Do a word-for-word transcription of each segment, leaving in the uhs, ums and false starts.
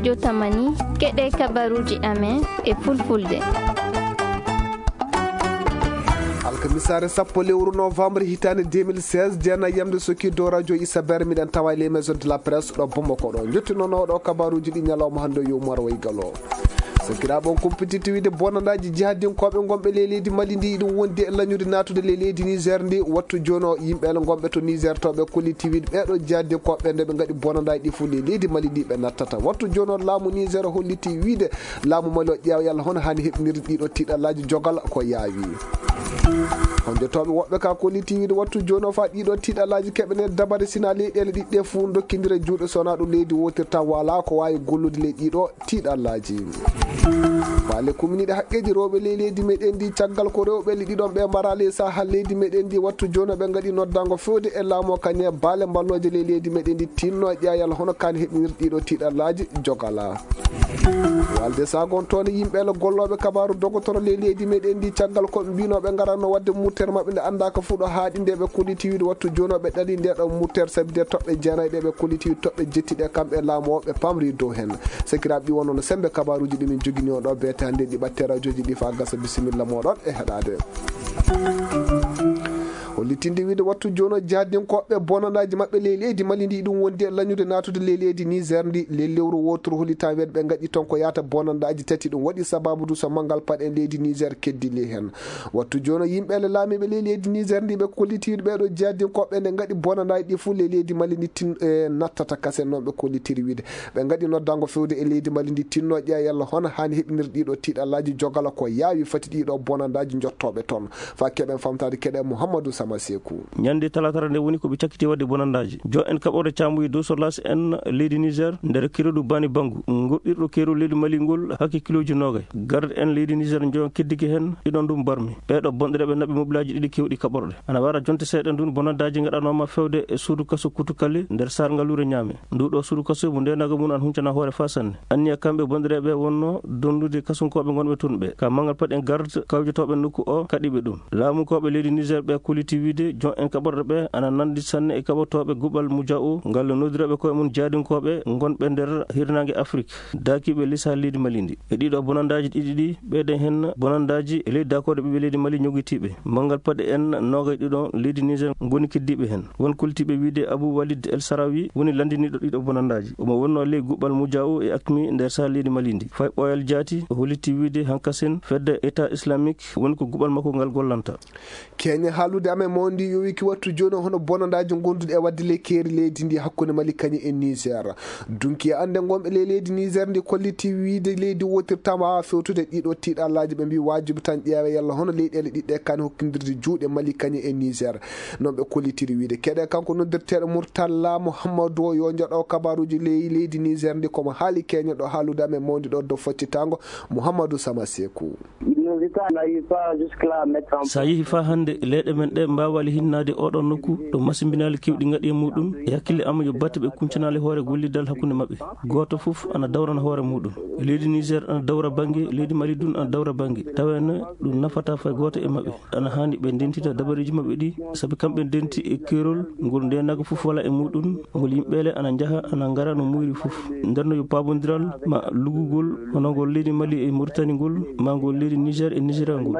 Jotamani, keɗe kabaruuji amen e fulfulde. Alkamisaare sappo lewru novembre hitaande deux mille seize, jeenayi yamde sokki dow radio Isaber, miɗen tawa e les maisons de la presse ɗo Bamako ɗo. Jottinooɗo kabaruuji ɗi ñalawma hannde yo Umar Way Galo. Sakiraaɓe, on kumpititti wiide bonandaaji jihadinkooɓe ngonɓe ley leydi Mali ndi, iɗum wondi e lañude naatude ley leydi Niger ndi. Wattu jooni o, yimɓe ele ngonɓe to Niger to ɓe kolliti wiide ɓeeɗo jihadinkooɓe nde ɓe ngaɗi bonandaaji ɗi fof ley leydi Mali ndi ɓe nattata. Wattu jooni o, laamu Niger holliti wiide laamu Mali o ƴeewa yalla hono haani heɓnirde ɗiɗo tiiɗallaaji jogal ko yaawi. Honjotooɓe woɓɓe ka kolliti wiide wattu jooni o faa ɗiɗo tiiɗallaaji keɓene dabare sina leyɗeele ɗiɗɗe fof dokkindira juuɗe sona ɗum leydi wotirta wala ko waawi gollude ley ɗiɗo tiiɗallaaji. Faale kuminiiɗe haqqeeji rewɓe ley leydi meɗen ndi caggal ko rewɓe le ɗiɗon ɓe mbara ley saha leydi meɗen ndi wattu jooni o ɓe ngaɗi noddango fewde e laamu o kañe baale mballooje ley leydi meɗen ndi tinno e ƴeewal hono kaan heɓinir ɗiɗo tiiɗallaaji jogala. Walde sagon toon yimɓe le gollooɓe kabaaru dogotoro ley leydi meɗen ndi caggal ko ɓe mbino ɓe ngaranno wadde muttere maɓɓe nde annda ko fuɗo haaɗi nde ɓe kolliti wiide wattu jooni o ɓe ɗali nde ɗo muttere sabi nde toɓɓe jeenayi ɗe ɓe kolliti wiide toɓɓe jettiɗe kamɓe laamu o ɓe pamri dow hen. Sakiraaɓe ɗi wonno no sembe kabaaruuji ɗi min jogini on ɗo beete hannde ɗi ɓatte radioji ɗi faa gasa bisimilla mooɗon e heɗaade. Hollitinde wiide wattu jooni o jihadinkooɓe bonandaaji maɓɓe ley leydi Mali ndi ɗum wondi e lañude naatude ley leydi Niger ndi ley lewru wooturu hollitaa weeɗ ɓe ngaɗi toon ko yaata bonandaaji tati ɗum waɗi sababu du so manngal paɗe leydi Niger keddi ley heen. Wattu jooni o yimɓe le laamiiɓe ley leydi Niger ndi ɓe kollitiiɗo ɓeeɗo jihadinkooɓe nde ngaɗi bonandaaji ɗi fof ley leydi Mali ndi tin e nattata kasen noon ɓe kollitiri wiide. Ɓe ngaɗi noddango fewde e leydi Mali ndi tinno ƴeewa yalla hono haani heɓinir ɗiɗo tiiɗallaaji jogala ko yaawi fati ɗiɗo bonandaaji jottooɓe toon. Faa keɓen famtaade keɗe Mouhamadou Sama Sekou. Ñande talaatara nde woni ko ɓe cakkiti waɗde bonandaaji. Jo en kaɓorde caamuyi dow solas en leydi Niger nder kirodu Bani Bangu, ngoɗɗirɗo keerol leydi Mali ngol hakke kilooji noogay. Garde en leydi Niger njon keddike heen ɗiɗon ɗum barmi. Ɓeeɗo bonɗereeɓe naɓi mobilaaji ɗiɗi keewɗi kaɓorɗe. Ana wara jonte seeɗa ndun bonandaaji ngaɗanooma fewde e suudu kaso Kutukale nder Sar Ngaluure Ñaame. Ndu ɗo suudu kaso mo ndenago mum an huncana hoore faa sanne. Anniya kamɓe bonɗereeɓe wonno dondude kasunkooɓe ngonɓe toon ɓe. Ka manngal paɗen garde kawjotooɓe nokku o kaɗiɓe ɗum. Laamunkooɓe leydi Niger ɓe kolliti wiide jon en kaɓorɗe ɓe ana nandi sanne e kaɓotooɓe guɓal Muja'u ngal noddirooɓe koye mum jaadinkooɓe ngonɓe nder hirnaange Afrik. Daakiiɓe lisa leydi Mali ndi. E ɗiɗo bonandaaji ɗiɗi ɗi, ɓeyden heen bonandaaji e leydi daakooɗe ɓiɓɓe leydi Mali ñogitiiɓe. Manngal paɗe en noogay ɗiɗo leydi Niger ngoni keddiiɓe heen. Won koltiiɓe wiide Abou Walid El Sarawi woni lanndiniiɗo ɗiɗo bonandaaji. Omo wonnoo ley guɓɓal Muja'u e Akmi nder saha leydi Mali ndi. Fay ɓooyal jaati, o holliti wiide hankasen fedde État Islamique woni ko guɓɓal makko ngal gollanta. Keñe haalude amen mawndi yowiki wattu jooni hono bonandaaji ngonduɗi e waɗde ley keeri leydi ndi hakkunde Mali kañum e Niger. Dunki e annde ngonɓe ley leydi Niger ndi kolliti wiide leydi wotirtama haa fewtude ɗiɗo tiiɗallaaji ɓe mbi waajibi tan ƴeewa yalla hono leyɗeele ɗiɗɗe kani hokkindirde juuɗe Mali kañum e Niger. Noon ɓe kollitiri wiide keɗe kanko noddirteeɗo Murtalla Mouhamadou o yo joɗo kabaruuji ley leydi Niger ndi komo haali keñe ɗo haalude amen mawndi ɗo dow foccitango Mouhamadou Sama Sekou. Sa yehi faa hannde leyɗe men ɗe mbaawaali hinnaade oɗon nokku ɗo masimbinaali keewɗi ngaɗi e muɗum e hakkille am yo batte ɓe kuncanaali hoore gollidal hakkunde maɓɓe. Gooto fof ana dawrana hoore muɗum. Leydi Niger ana dawra bannge, leydi Mali dun ana dawra bannge. Taweene ɗum nafata fay gooto e maɓɓe. Ana haani ɓe ndentita dabareeji maɓɓe ɗi, sabi kamɓe ndenti e keerol ngol ndenago fof wala e muɗum, ngol yimɓeele ana njaha ana ngara no muuyri fof. Nder no yo paabondiral ma lugugol hono ngol leydi Mali e Mauritanie ngol, ma ngol leydi Niger e Nigeria ngol.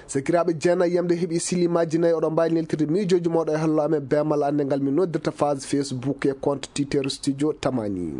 Sakiraaɓe jeenayi yamde heɓi silimaaji nayi, oɗon mbaawi neltirde miijooji mooɗon e hallo amen beemal annde ngal min noddirta page Facebook e compte Twitter Studio Tamani.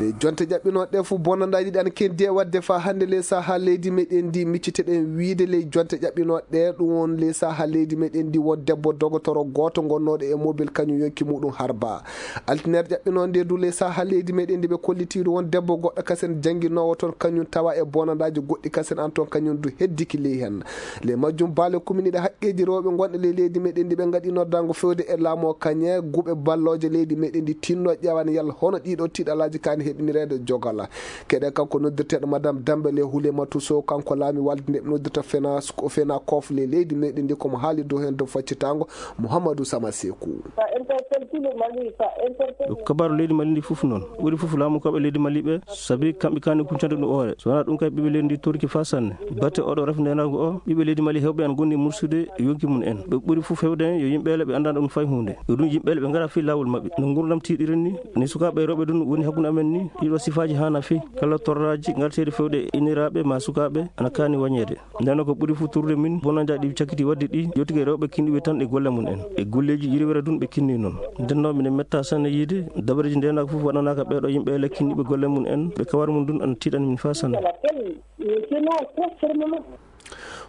Ley jonte ƴaɓɓinooɗe ɗe fof bonandaaji ɗi ana kendi e waɗde faa hannde ley saha leydi meɗen ndi micciteɗen wiide ley jonte ƴaɓɓinooɗe ɗe ɗum won ley saha leydi meɗen ndi won debbo dogotoro gooto gonnooɗo e mobile kañum yonki muɗum harba. Altiner ƴaɓɓinoo nde du ley saha leydi meɗen ndi ɓe kollitiiɗo won debbo goɗɗo kasen jannginoowo toon kañum tawa e bonandaaji goɗɗi kasen an toon kañum du heddiki ley heen. Ley majjum baale kuminiiɗe haqqeeji rewɓe gonɗe ley leydi meɗen ndi ɓe ngaɗi noddango fewde e laamu o kañe guɓe ballooje leydi meɗen ndi tinno ƴeewane yalla hono ɗiɗo tiiɗalaaji kaani heɓinireede jogala. Keɗe kanko noddirteeɗo Madame Dembele Hulematu Sow, kanko laami walde nde ɓe noddirta fena, ko fena kof le leydi meɗen ndi, komo haali dow heen dow faccitaango Mouhamadou Sama Sekou. Yo kabaru leydi Mali ndi fof noon, ɓuri fof laamu koɓe leydi Mali ɓe, sabi kamɓe kani kuncande ɗum oore. So wonaa ɗum kay ɓiɓɓe leydi ndi torki faa sanne. Batte oɗo rafi ndenaagu o, ɓiɓɓe leydi Mali heewɓe en ngoni mursude yonki mum en. Ɓe ɓuri fof heewde heen yo yimɓe ele ɓe anndaa ɗum fay huunde. Yo ɗum yimɓe ele ɓe ngara fii laawol maɓɓe. No nguurndam tiiɗiri ni, ni sukaaɓe e rewɓe ɗum woni hakkunde amen ni, ɗiɗo sifaaji haana fii. Kala torraaji ngarteeɗi fewde e inniraaɓe ma sukaaɓe ana kaani wañeede. Nden ko ɓuri fof turude min, bonannde ɗi cakkiti waɗde ɗi, yottude e rewɓe kinɗiɓe tan e golle mum en. E golleeji yirwere ɗum ɓe kinni noon. Nden noon mine metta sanne yiide, dabareeji ndenaagu fof waɗanaaka ɓeeɗo yimɓe ele kinɗiɓe golle mum en, ɓe kawar mum ɗum ana tiiɗani min faa sanne.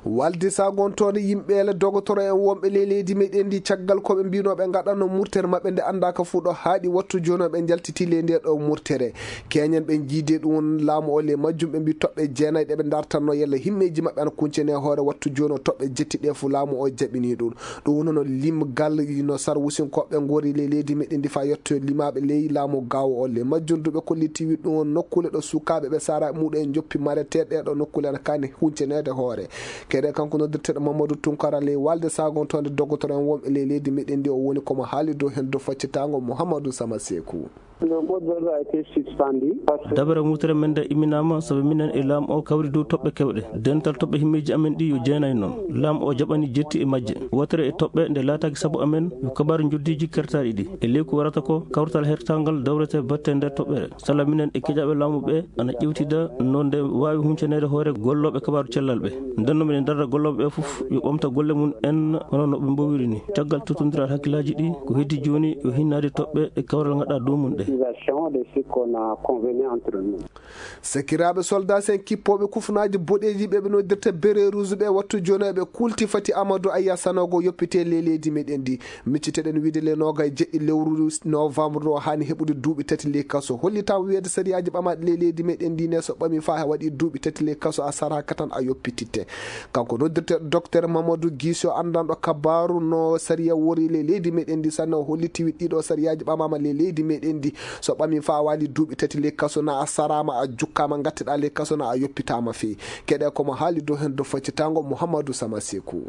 Walde sagontoonde yimɓe ele dogotoro en wonɓe ley leydi meɗen ndi caggal ko ɓe mbino ɓe ngaɗanno murtere maɓɓe nde anndaaka fuu ɗo haaɗi wattu jooni ɓe njaltiti ley nde ɗo murtere. Keñen ɓe jiide ɗum laamu o ley majjum ɓe mbi toɓɓe jeenayi ɗe ɓe dartanno yalla himmeeji maɓɓe ana kuncene hoore wattu jooni o toɓɓe jetti ɗe fuu laamu o jaɓini ɗum. Ɗum woni no limgal no sarwusinkoɓe ngori ley leydi meɗen ndi faa yetto limaaɓe ley laamu gaawo o ley majjum duɓe kollitiwi ɗum nokkuule ɗo sukaaɓe ɓe sara muɗum en joppi mareteeɗe ɗo nokkuule ana kaani hunceneede hoore. Kede kanko noddirteeɗo Mamadou Tunkara ley walde sagontoonde dogotoro en wonɓe ley leydi meɗen ndi o woni komo haali dow heen dow faccitaango Mouhamadou Sama Sekou. Dabere mutere men nde imminaama sabu minen e laamu o kawri dow toɓɓe kewɗe. Dental toɓɓe himmeeji amen ɗi yo jeenay noon. Laamu o jaɓani jetti e majje. Wootere e toɓɓe nde laataaki sabu amen yo kabaaru njoddiiji kertaaɗi ɗi. E ley ko warata ko kawrital hertangal dawrete batte nder toɓɓere. Sala minen e keƴaaɓe laamu ɓe ana ƴewtida no nde waawi huncaneede hoore gollooɓe kabaaru cellal ɓe. Nden no minen darda gollooɓe ɓe fof yo ɓamta golle mum en hono no ɓe mbowiri ni. Caggal tottondiral hakkillaaji ɗi ko heddi jooni yo hinnaade toɓɓe e kawral ngaɗa dow mum ɗe. Sakiraaɓe soldat sen kippooɓe kufunaaji boɗeeji ɓe ɓe noddirta bere rouge ɓe wattu jooni ɓe kulti fati Amadou Aya Sanogo yoppite ley leydi meɗen ndi. Micciteɗen wiide le noga e jeɗɗi lewru novembre o haani heɓude duuɓi tati ley kaso. Hollitaama wiyeede sariyaaji ɓamaaɗi ley leydi meɗen ndi ne so ɓami faa waɗi duuɓi tati ley kaso a saraaka tan a yoppititte. Kanko noddirteeɗo docteur Mamadou Guissé o anndanɗo kabaaru no sariya wori ley leydi meɗen ndi sanne o holliti wiɗ ɗiɗo sariyaaji ɓamaama ley leydi meɗen ndi. So ɓami faa waali duuɓi tati ley kaso na a saraama a jukkaama ngatteɗaa ley kaso na a yoppitaama fii. Keɗe komo haali dow heen dow faccitaango Mouhamadou Sama Sekou.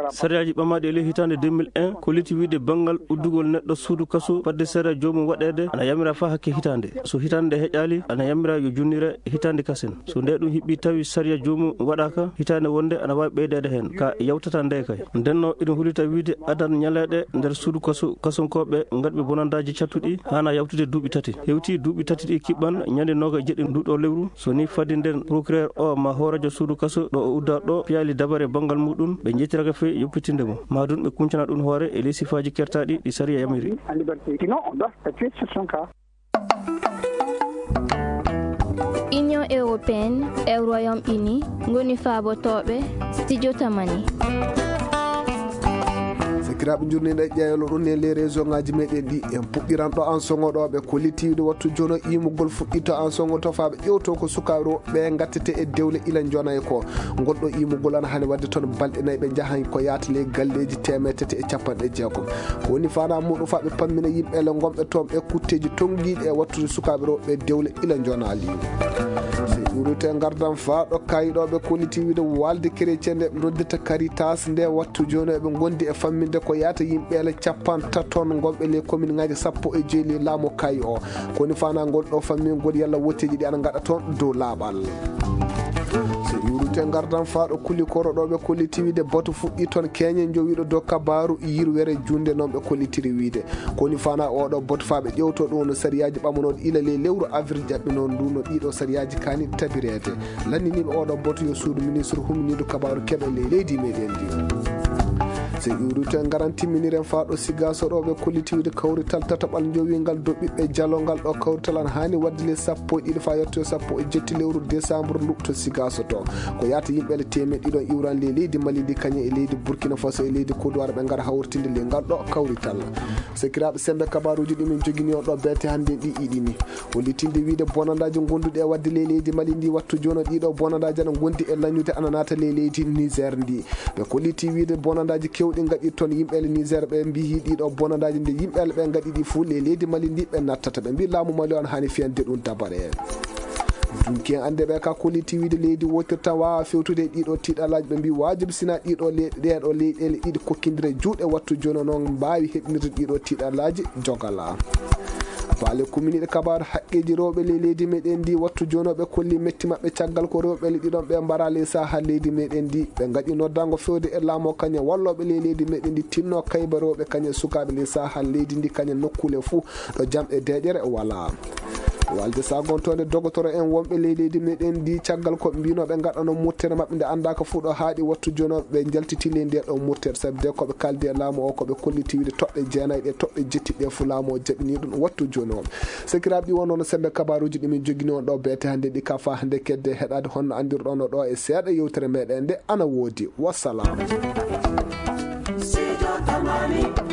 Sariyaaji ɓamaaɗi e ley hitaande deux mille un ko liti wiide banngal uddugol neɗɗo suudu kaso fadde sariya joomum waɗeede ana yamira faa hakke hitaande. So hitaande nde heƴaali ana yamira yo junnire hitaande kasen. So nde ɗum hiɓɓi tawi sariya joomum waɗaaka hitaande wonde ana waawi ɓeydeede heen ka yawtata nde kay. Ndenno iɗum hulita wiide adan ñaleeɗe nder suudu kaso kasonkooɓe ngaɗɓe bonandaaji cattuɗi haana yawtude duuɓi tati. Hewti duuɓi tati ɗi kiɓɓan ñande nooga e jeɗɗi nduɗo lewru. So ni fadi nden procureur o ma hooreejo suudu kaso ɗo o udda ɗo piyaali dabare banngal muɗum ɓe njettiraka fee yoppitinde mo. Maa ɗum ɓe kuncana ɗum hoore e ley sifaaji kertaaɗi ɗi sariya yamiri. Union européenne e Royaume Uni ngoni faabotooɓe studio Tamani. Sakiraaɓe njurniiɗo e ƴeewlo ɗum e les réseau ngaji meɗen ɗi en puɗɗiran ɗo an sogoɗoɓe ko litiwde wattu jono imugol fuɗɗito an sogo tofaaɓe ƴewto ko sukaaɓe ɓe gattete e dewle ila jonay ko ngol ɗo imugol ana hani wadde toon balɗe nayi ɓe njahan ko yaata ley galleeji teemeɗe tati e capanɗe jeegom. Ko woni fana muɗum fa ɓe pammina yimɓe ele gonɓe toon ɓe kutteeji tonngiiɗi e wattude sukaaɓe rewɓe dewle ila njonaali. So ƴuurite ngardan faa ɗo kayiɗoɓe kolliti wiide walde chrétien nde ɓe noddirta Caritas nde wattu jooni eɓe gondi e famminde ko yaata yimɓe ele capantaton gonɓe ley commune ngaji sappo e joyi ley laamu kayi o. Ko woni fana ngol ɗo fammingol yalla wotteeji ɗi ana ngaɗa toon dow laaɓal. So ƴuurite ngardan faa ɗo kuli koro ɗo ɓe kolliti wiide batu fuɗɗi toon keñe jowiɗo dow kabaru yirwere junde noon ɓe kollitiri wiide. Ko woni fana oɗo batu faa ɓe ƴewto ɗum no sariyaaji ɓamanooɗi ila ley lewru avril ƴaɓɓi noon ndu no ɗiɗo sariyaaji kani tabireede. Lanniniiɓe oɗo batu yo suudu ministre huminiiɗo kabaru keɓe ley leydi meɗen ndi. So ƴuurite ngaran timminiren faa ɗo siga so ɗo ɓe kolliti wiide kawrital tataɓal jowingal dow ɓiɓɓe jalongal ɗo kawrital an haani wadde ley sappo e ɗiɗi faa yetto sappo e jetti lewru décembre luɓto siga so to. Ko yaata yimɓe ele teemeɗɗe ɗiɗon iwran ley leydi Mali ndi kañum e leydi Burkina Faso e leydi Kodowar ɓe ngara hawritinde ley ngal ɗo kawrital. Sakiraaɓe sembe kabaruuji ɗi min jogini on ɗo beete hannde ɗi iɗini. Hollitinde wiide bonandaaji gonduɗi e wadde ley leydi Mali ndi wattu jono ɗiɗo bonandaaji ana gondi e lañude ana naata ley leydi Niger ndi. Ɓe kolliti wiide bonandaaji kewɗi ɗi ngaɗi toon yimɓeele Niger ɓe mbiyi ɗiɗo bonandaaji nde yimɓeele ɓe ngaɗi ɗi fuu le leydi Mali ndi ɓe nattata. Ɓe mbi laamu Mali on haani fiyande ɗum dabare. Dunki en annde ɓe ka kolliti wiide leydi wotirta waawa fewtude ɗiɗo tiiɗalaaji. Ɓe mbi waajibi sina ɗiɗo le-, ɗeɗo leyɗeele ɗiɗi kokkindire juuɗe wattu jooni o noon mbaawi heɓnirde ɗiɗo tiiɗalaaji jogala. Baale kuminiiɗe kabaaru haqqeeji rewɓe ley leydi meɗen ndi wattu jooni o ɓe kolli metti maɓɓe caggal ko rewɓe le ɗiɗon ɓe mbara ley saha leydi meɗen ndi. Ɓe ngaɗi noddango fewde e laamu o kañum wallooɓe ley leydi meɗen ndi tinno kayba rewɓe kañum sukaaɓe ley saha leydi ndi kañum nokkuule fuu ɗo jam e deeƴere wala. Walde sagontoonde dogotoro en wonɓe ley leydi meɗen ndi caggal ko mbino ɓe ngaɗano murtere maɓɓe nde anndaaka fuu ɗo haaɗi wattu jooni o ɓe njaltiti ley nde ɗo murtere sabi de ko ɓe kaldi e laamu o ko ɓe kolliti wiide toɓɓe jeenayi ɗe toɓɓe jetti ɗe fuu laamu o jaɓini ɗum wattu jooni o. Sakiraaɓe ɗi wonnono sembe kabaruuji ɗi min jogini on ɗo beete hannde ɗi ka fa hannde kedde heɗaade honno anndirɗono ɗo e seeɗa yewtere meɗen nde ana woodi. Wassalam. Sijo Tamani.